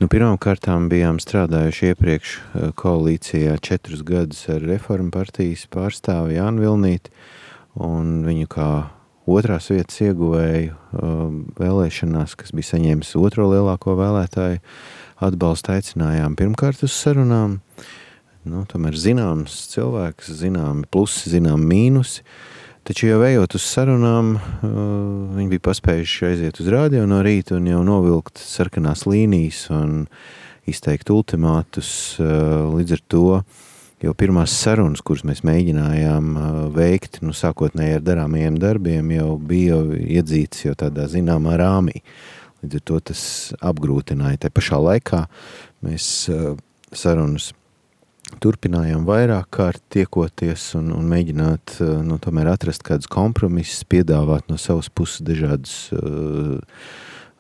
Pirmām kārtām bijām strādājuši iepriekš koalīcijā 4 gadus ar Reformu partijas pārstāvi Jānu Vilnīti, un viņu kā otrās vietas ieguvēju vēlēšanās, kas bija saņēmis otro lielāko vēlētāju atbalstu, aicinājām pirmkārt uz sarunām. Tomēr zināms cilvēks, zināmi plusi, zināmi mīnusi, taču jau ejot uz sarunām, viņi bija paspējuši aiziet uz radio no rīta un jau novilkt sarkanās līnijas un izteikt ultimātus. Līdz ar to jau pirmās sarunas, kuras mēs mēģinājām veikt, sākotnēji ar darāmajiem darbiem, jau bija iedzīts jau tādā zināmā rāmī. Līdz ar to tas apgrūtināja. Te pašā laikā mēs sarunas turpinājām vairāk kārt tiekoties un mēģināt tomēr atrast kādus kompromisus, piedāvāt no savas puses dažādus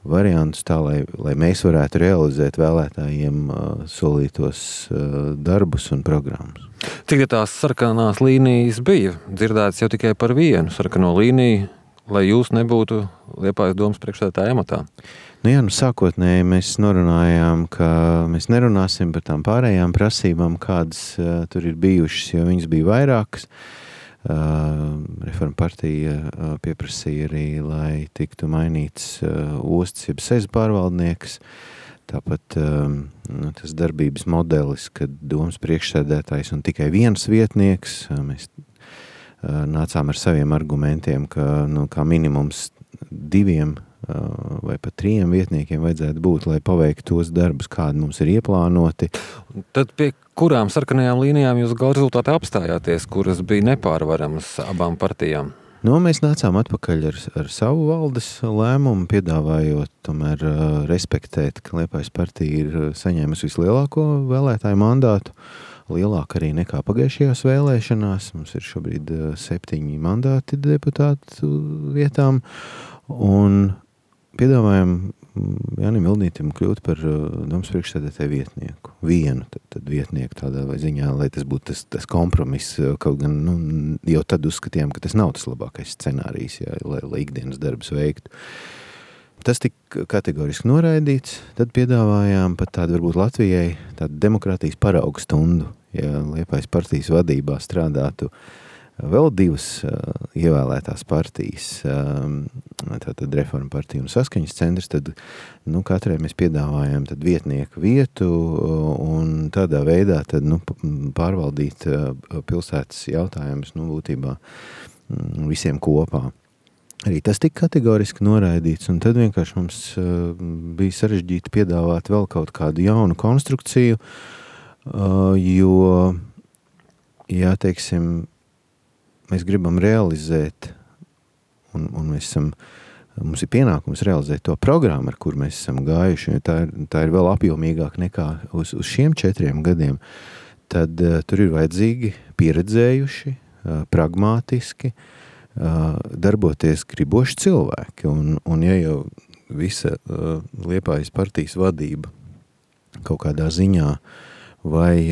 variantus tā, lai mēs varētu realizēt vēlētājiem solītos darbus un programmas. Cik tās sarkanās līnijas bija? Dzirdēts jau tikai par vienu sarkano līniju, lai jūs nebūtu Liepājas domas priekšsēdētāja amatā. Sākotnēji mēs norunājām, ka mēs nerunāsim par tām pārējām prasībām, kādas tur ir bijušas, jo viņas bija vairākas. Reforma partija pieprasīja arī, lai tiktu mainīts ostas jeb sezu pārvaldnieks. Tāpat tas darbības modelis, kad domas priekšsēdētājs un tikai viens vietnieks, mēs nācām ar saviem argumentiem, ka kā minimums 2 vai pat 3 vietniekiem vajadzētu būt, lai paveiktu tos darbus, kādi mums ir ieplānoti. Tad pie kurām sarkanajām līnijām jūs gala rezultātā apstājāties, kuras bija nepārvaramas abām partijām? Mēs nācām atpakaļ ar savu valdes lēmumu, piedāvājot tomēr respektēt, ka Liepājas partija ir saņēmusi vislielāko vēlētāju mandātu, lielāk arī nekā pagājušajās vēlēšanās. Mums ir šobrīd 7 mandāti deputātu vietām, un piedāvājam Jānim Vilnītim kļūt par domas priekšsēdētāju vietnieku. Vienu tad vietnieku tādā vai ziņā, lai tas būtu tas kompromiss, kaut gan jau tad uzskatījām, ka tas nav tas labākais scenārijs, lai ikdienas darbus veiktu. Tas tika kategoriski noraidīts, tad piedāvājām pat tādu varbūt Latvijai tādu demokrātijas paraugu stundu, ja Liepājas partijas vadībā strādātu vēl 2 ievēlētās partijas, tātad Reforma partija un Saskaņas centrs, tad katrai mēs piedāvājam tad vietnieku vietu un tādā veidā tad pārvaldīt pilsētas jautājumus būtībā visiem kopā. Arī tas tika kategoriski noraidīts, un tad vienkārši mums bija sarežģīti piedāvāt vēl kaut kādu jaunu konstrukciju, jo, teiksim, mēs gribam realizēt, un mums ir pienākums realizēt to programmu, ar kur mēs esam gājuši, jo tā ir vēl apjomīgāk nekā uz šiem 4 gadiem, tad tur ir vajadzīgi pieredzējuši, pragmātiski, darboties griboši cilvēki. Un ja jau visa Liepājas partijas vadība kaut kādā ziņā vai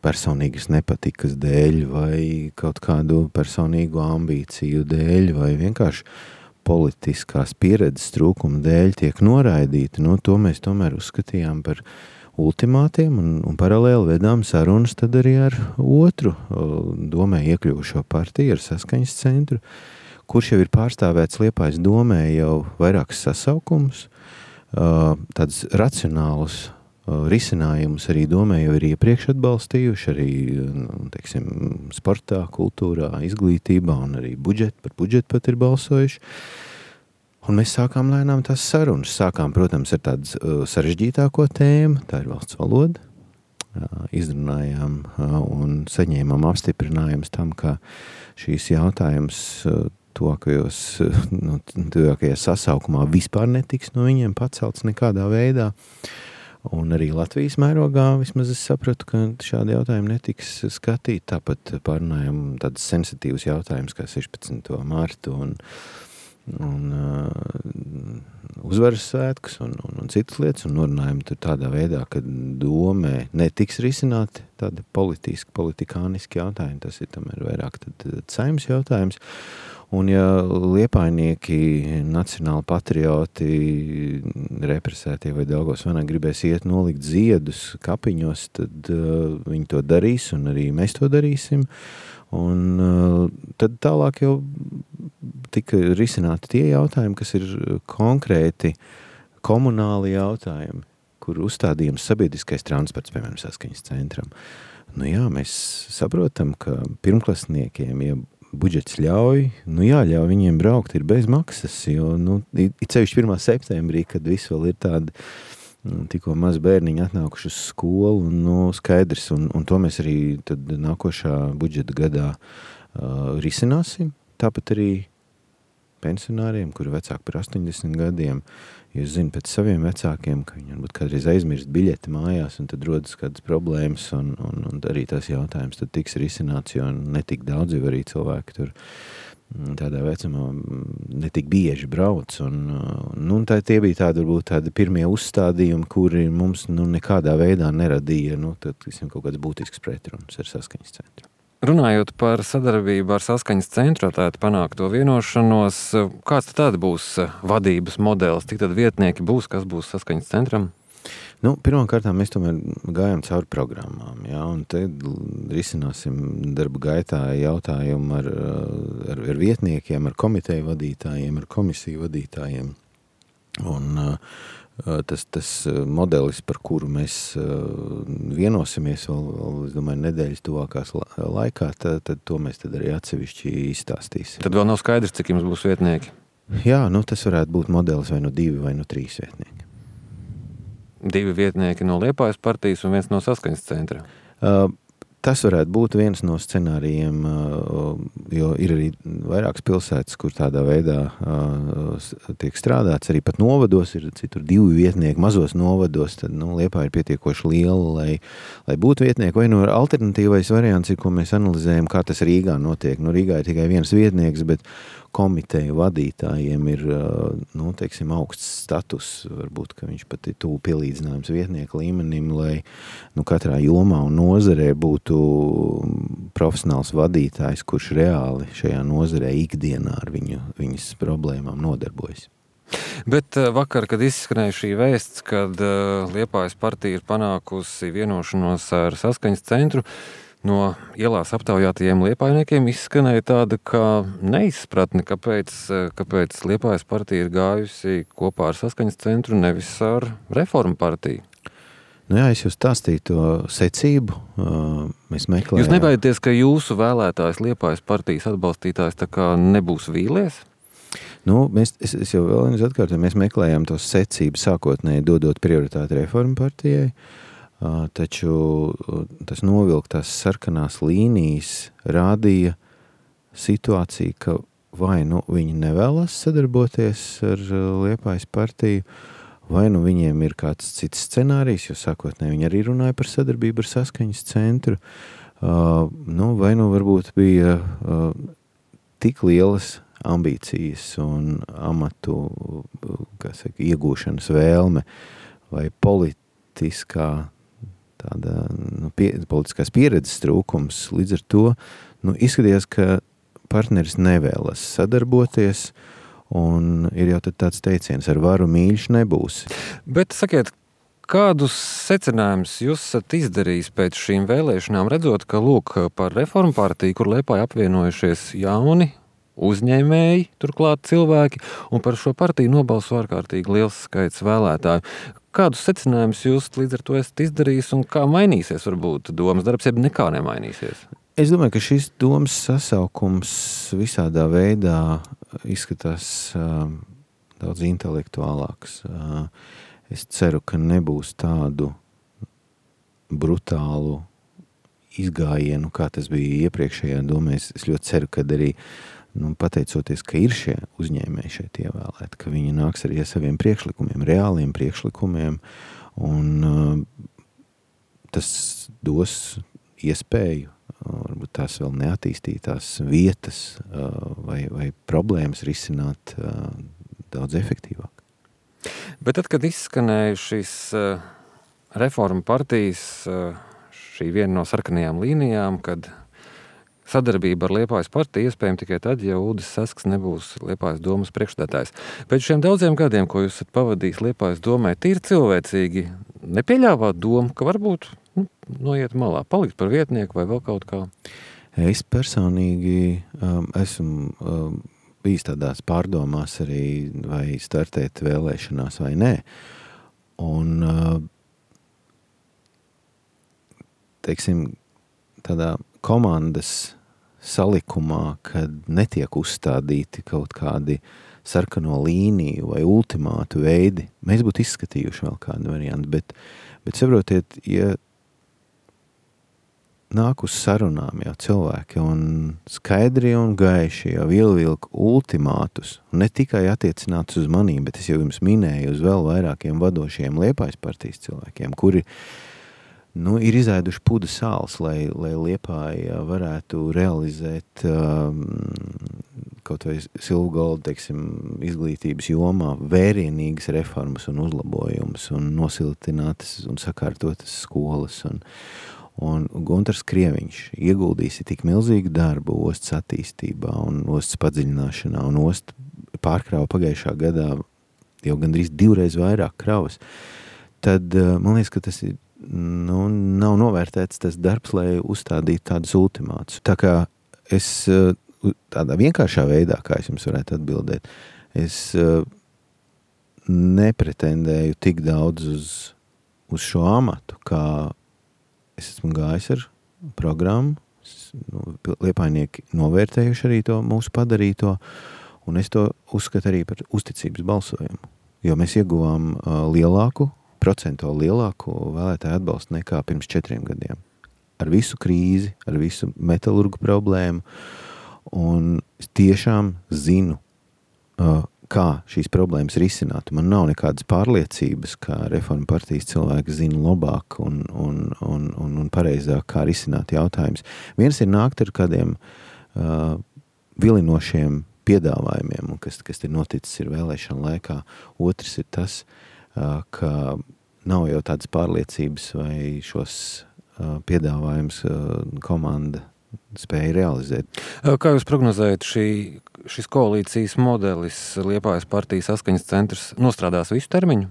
personīgas nepatikas dēļ, vai kaut kādu personīgu ambīciju dēļ, vai vienkārši politiskās pieredzes trūkuma dēļ tiek noraidīti, to mēs tomēr uzskatījām par ultimātiem un paralēli vedām sarunas tad arī ar otru domē iekļuvušo partiju, ar Saskaņas centru, kurš jau ir pārstāvēts Liepājas domē jau vairākas sasaukumus, tāds racionālus risinājumus arī domē jau ir iepriekš atbalstījuši, arī, teiksim, sportā, kultūrā, izglītībā un arī par budžetu pat ir balsojuši. Un mēs sākām lēnām tās sarunas. Sākām, protams, ar tādu sarežģītāko tēmu, tā ir valsts valoda. Izrunājām un saņēmām apstiprinājumus tam, ka šīs jautājums tuvākajā sasaukumā vispār netiks no viņiem pacelts nekādā veidā. Un arī Latvijas mērogā vismaz es sapratu, ka šādi jautājumi netiks skatīti. Tāpat pārunājam tādas sensitīvas jautājumas kā 16. martu un uzvaras svētkus un citas lietas, un norunājam tur tādā veidā, ka domē netiks risināti tādi politikāniski jautājumi. Tas ir tomēr vairāk tad Saeimas jautājums. Un ja liepainieki, nacionāli patrioti, represētie vai Daugavas gribēs iet nolikt ziedus kapiņos, tad viņi to darīs, un arī mēs to darīsim. Un tad tālāk jau tika risināti tie jautājumi, kas ir konkrēti komunāli jautājumi, kur uzstādījums sabiedriskais transports, piemēram, Saskaņas centram. Nu jā, mēs saprotam, ka pirmklasniekiem, ja budžets ļauj, nu jāļauj viņiem braukt ir bez maksas, jo, it sevišķi 1. septembrī, kad viss vēl ir tādi tikko maz bērniņi atnākuši uz skolu, skaidrs, un to mēs arī tad nākošā budžeta gadā risināsim. Tāpat arī pensionāriem, kuri vecāki par 80 gadiem, jūs zinu pēc saviem vecākiem, ka viņi varbūt kādreiz aizmirst biļeti mājās, un tad rodas kādas problēmas, un arī tās jautājums tad tiks risināts, jo netik daudz jau arī cilvēki tur tādā vecumā netik bieži brauc, un tie bija tādi pirmie uzstādījumi, kuri mums nekādā veidā neradīja, tad, kaut kāds būtisks pretruns ar Saskaņas centru. Runājot par sadarbību ar Saskaņas centru, tātad panākt to vienošanos, kāds tad būs vadības modelis, cik tad vietnieki būs, kas būs Saskaņas centram? Pirmkārt, mēs tomēr gājām cauri programmām, un te risināsim darba gaitā jautājumu ar vietniekiem, ar komiteju vadītājiem, ar komisiju vadītājiem. Un tas modelis, par kuru mēs vienosimies vēl, es domāju, nedēļas tuvākās laikā, tad to mēs tad arī atsevišķi izstāstīsim. Tad vēl nav skaidrs, cik jums būs vietnieki? Jā, tas varētu būt modelis vai 2 vai 3 vietnieki. 2 vietnieki no Liepājas partijas un 1 no Saskaņas centra. Tas varētu būt viens no scenārijiem, jo ir arī vairākas pilsētas, kur tādā veidā tiek strādāts. Arī pat novados ir citur 2 vietnieki, mazos novados, tad Liepāja ir pietiekoši liela, lai būtu vietnieki. Vai alternatīvais variants ir, ko mēs analizējam, kā tas Rīgā notiek. Rīgā ir tikai viens vietnieks, bet komiteju vadītājiem ir, augsts status, varbūt, ka viņš pat ir tuvu pielīdzinājums vietnieku līmenim, lai katrā jomā un nozarē būtu profesionāls vadītājs, kurš reāli šajā nozarē ikdienā ar viņas problēmām nodarbojas. Bet vakar, kad izskanēja šī vēsts, kad Liepājas partija ir panākusi vienošanos ar Saskaņas centru, no ielās aptaujātajiem liepājniekiem izskanēja tāda kā neizpratne, kāpēc Liepājas partija ir gājusi kopā ar Saskaņas centru, nevis ar Reformu partiju. Jā, es jau stāstīju to secību. Mēs meklējām. Jūs nebaidieties, ka jūsu vēlētājs Liepājas partijas atbalstītājs tā kā nebūs vīlies? Es jau vēl atkārtoju, mēs meklējām to secību sākotnēji dodot prioritāti Reformu partijai. Taču tas novilktās sarkanās līnijas rādīja situāciju, ka vai viņi nevēlas sadarboties ar Liepājas partiju, vai viņiem ir kāds cits scenārijs, jo sākotnēji viņi arī runāja par sadarbību ar Saskaņas centru, vai varbūt bija tik lielas ambīcijas un amatu iegūšanas vēlme vai politiskā tāda politiskās pieredzes trūkums. Līdz ar to izskatījās, ka partneris nevēlas sadarboties, un ir jau tad tāds teiciens, ar varu mīļš nebūs. Bet sakiet, kādus secinājumus jūs esat izdarījis pēc šīm vēlēšanām, redzot, ka par Reformu partiju, kur Liepāja apvienojušies jauni uzņēmēji, turklāt cilvēki, un par šo partiju nobalso ārkārtīgi liels skaits vēlētāju. Kādus secinājumus jūs līdz ar to esat izdarījis un kā mainīsies varbūt domas darbs, ja nekā nemainīsies? Es domāju, ka šis domas sasaukums visādā veidā izskatās daudz intelektuālāks. Es ceru, ka nebūs tādu brutālu izgājienu, kā tas bija iepriekšējā domē. Es ļoti ceru, ka arī pateicoties, ka ir šie uzņēmēji šeit ievēlēti, ka viņi nāks arī ar saviem priekšlikumiem, reāliem priekšlikumiem, un tas dos iespēju, varbūt tās vēl neattīstītās vietas vai problēmas risināt daudz efektīvāk. Bet tad, kad izskanēja šis Reformu partijas, šī viena no sarkanajām līnijām, kad sadarbība ar Liepājas partiju iespējama tikai tad, ja Uldis Sasks nebūs Liepājas domas priekšstādājs. Pēc šiem daudziem gadiem, ko jūs esat pavadījis Liepājas domai, tīri cilvēcīgi nepieļāvāt domu, ka varbūt noiet malā, palikt par vietnieku vai vēl kaut kā? Es personīgi esmu bijis tādās pārdomās arī, vai startēt vēlēšanās vai nē. Un, teiksim, tādā komandas salikumā, kad netiek uzstādīti kaut kādi sarkano līniju vai ultimātu veidi, mēs būtu izskatījuši vēl kādu variantu, bet saprotiet, ja nāk uz sarunām jau cilvēki un skaidri un gaiši jau vilka ultimātus, un ne tikai attiecinātus uz manīm, bet es jau jums minēju uz vēl vairākiem vadošiem Liepājas partijas cilvēkiem, kuri ir izēduši pudu sāls, lai Liepāja varētu realizēt kaut vai Silvgolda, teiksim, izglītības jomā vērienīgas reformas un uzlabojumus un nosiltinātas un sakārtotas skolas. Un Guntars Krieviņš ieguldīs tik milzīgu darbu ostas attīstībā un ostas padziļināšanā, un osta pārkrāva pagājušā gadā jau gandrīz 2 reizes vairāk kravas. Tad man liekas, ka tas ir nav novērtēts tas darbs, lai uzstādītu tādus ultimātus. Tā kā es tādā vienkāršā veidā, kā es jums varētu atbildēt, es nepretendēju tik daudz uz šo amatu, kā es esmu gājis ar programmu, Liepājnieki novērtējuši arī to mūsu padarīto, un es to uzskatu arī par uzticības balsojumu, jo mēs ieguvām procentuāli lielāku vēlētāju atbalstu nekā pirms 4 gadiem. Ar visu krīzi, ar visu metalurgu problēmu, un es tiešām zinu, kā šīs problēmas risināt. Man nav nekādas pārliecības, kā Reforma partijas cilvēki zina labāk un pareizāk, kā risināt jautājumus. Viens ir nākt ar kādiem vilinošiem piedāvājumiem, un kas ir noticis ir vēlēšana laikā. Otrs ir tas, ka nav jau tādas pārliecības, vai šos piedāvājumus komanda spēja realizēt. Kā jūs prognozējat, šis koalīcijas modelis Liepājas partijas saskaņas centrs nostrādās visu termiņu?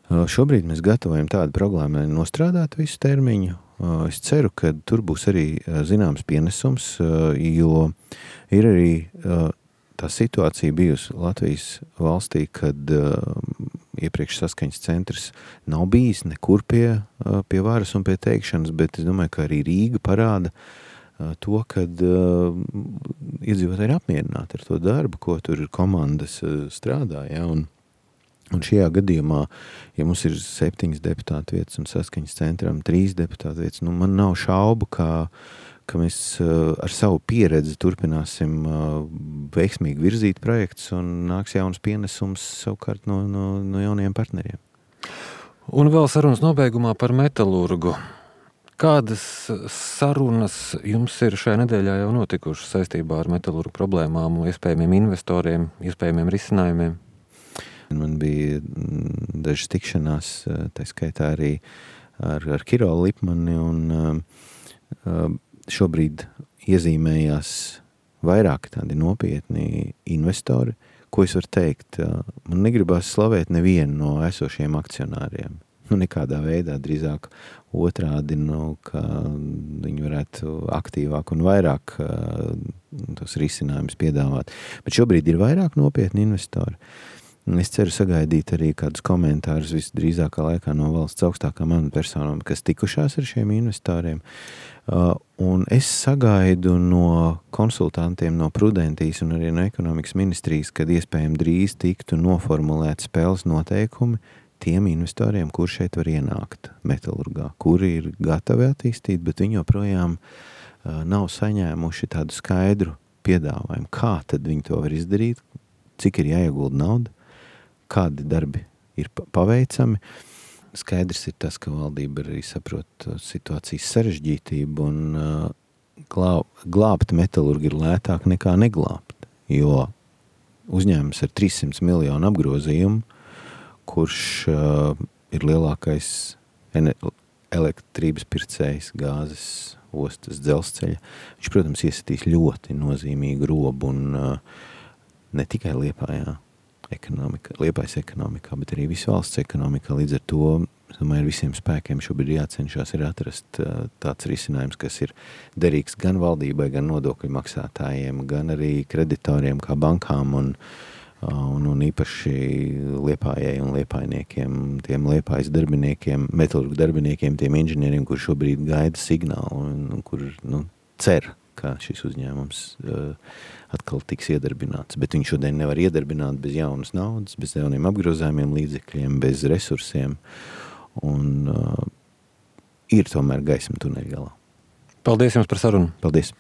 Šobrīd mēs gatavojam tādu problēmu, lai nostrādātu visu termiņu. Es ceru, ka tur būs arī zināms pienesums, jo ir arī tā situācija bijusi Latvijas valstī, kad iepriekš saskaņas centrs nav bijis nekur pie varas un pie teikšanas, bet es domāju, ka arī Rīga parāda to, kad iedzīvotāji ir apmierināti ar to darbu, ko tur komandas strādā, ja, un šajā gadījumā, ja mums ir 7 deputātu vietas un saskaņas centram 3 deputātu vietas, man nav šaubu, ka mēs ar savu pieredzi turpināsim veiksmīgi virzīt projektus un nāks jauns pienesums savukārt no jauniem partneriem. Un vēl sarunas nobeigumā par metalurgu. Kādas sarunas jums ir šajā nedēļā jau notikušas saistībā ar metalurgu problēmām, iespējamiem investoriem, iespējamiem risinājumiem? Man bija dažas tikšanās, tā skaitā arī ar Kirolu Lipmani, un šobrīd iezīmējās vairāk tādi nopietni investori, ko es varu teikt. Man negribas slavēt nevienu no esošiem akcionāriem. Nekādā veidā, drīzāk otrādi, ka viņi varētu aktīvāk un vairāk tos risinājumus piedāvāt. Bet šobrīd ir vairāk nopietni investori. Es ceru sagaidīt arī kādus komentārus visdrīzākā laikā no valsts augstākām amatpersonām, kas tikušās ar šiem investoriem. Un es sagaidu no konsultantiem no Prudentijas un arī no ekonomikas ministrijas, kad iespējami drīz tiktu noformulēt spēles noteikumi tiem investoriem, kur šeit var ienākt metalurgā, kuri ir gatavi attīstīt, bet viņi joprojām nav saņēmuši tādu skaidru piedāvājumu. Kā tad viņi to var izdarīt, cik ir jāiegulda nauda, kādi darbi ir paveicami. Skaidrs ir tas, ka valdība arī saprot situācijas sarežģītību un glābt metalurgu ir lētāk nekā neglābt, jo uzņēmums ar 300 miljonu apgrozījumu, kurš ir lielākais elektrības pircējs gāzes ostas dzelzceļa. Viņš, protams, iesatīs ļoti nozīmīgu robu un ne tikai Liepājā Liepājas ekonomikā, bet arī visu valsts ekonomikā. Līdz ar to, es domāju, ar visiem spēkiem šobrīd jācenšas ir atrast tāds risinājums, kas ir derīgs gan valdībai, gan nodokļu maksātājiem, gan arī kreditoriem kā bankām un īpaši Liepājai un liepājniekiem, tiem Liepājas darbiniekiem, metalurgu darbiniekiem, tiem inženieriem, kur šobrīd gaida signālu un kur cer, ka šis uzņēmums atkal tiks iedarbināts. Bet viņš šodien nevar iedarbināt bez jaunas naudas, bez jauniem apgrozājumiem līdzekļiem, bez resursiem. Un ir tomēr gaisma tuneļa galā. Paldies jums par sarunu. Paldies.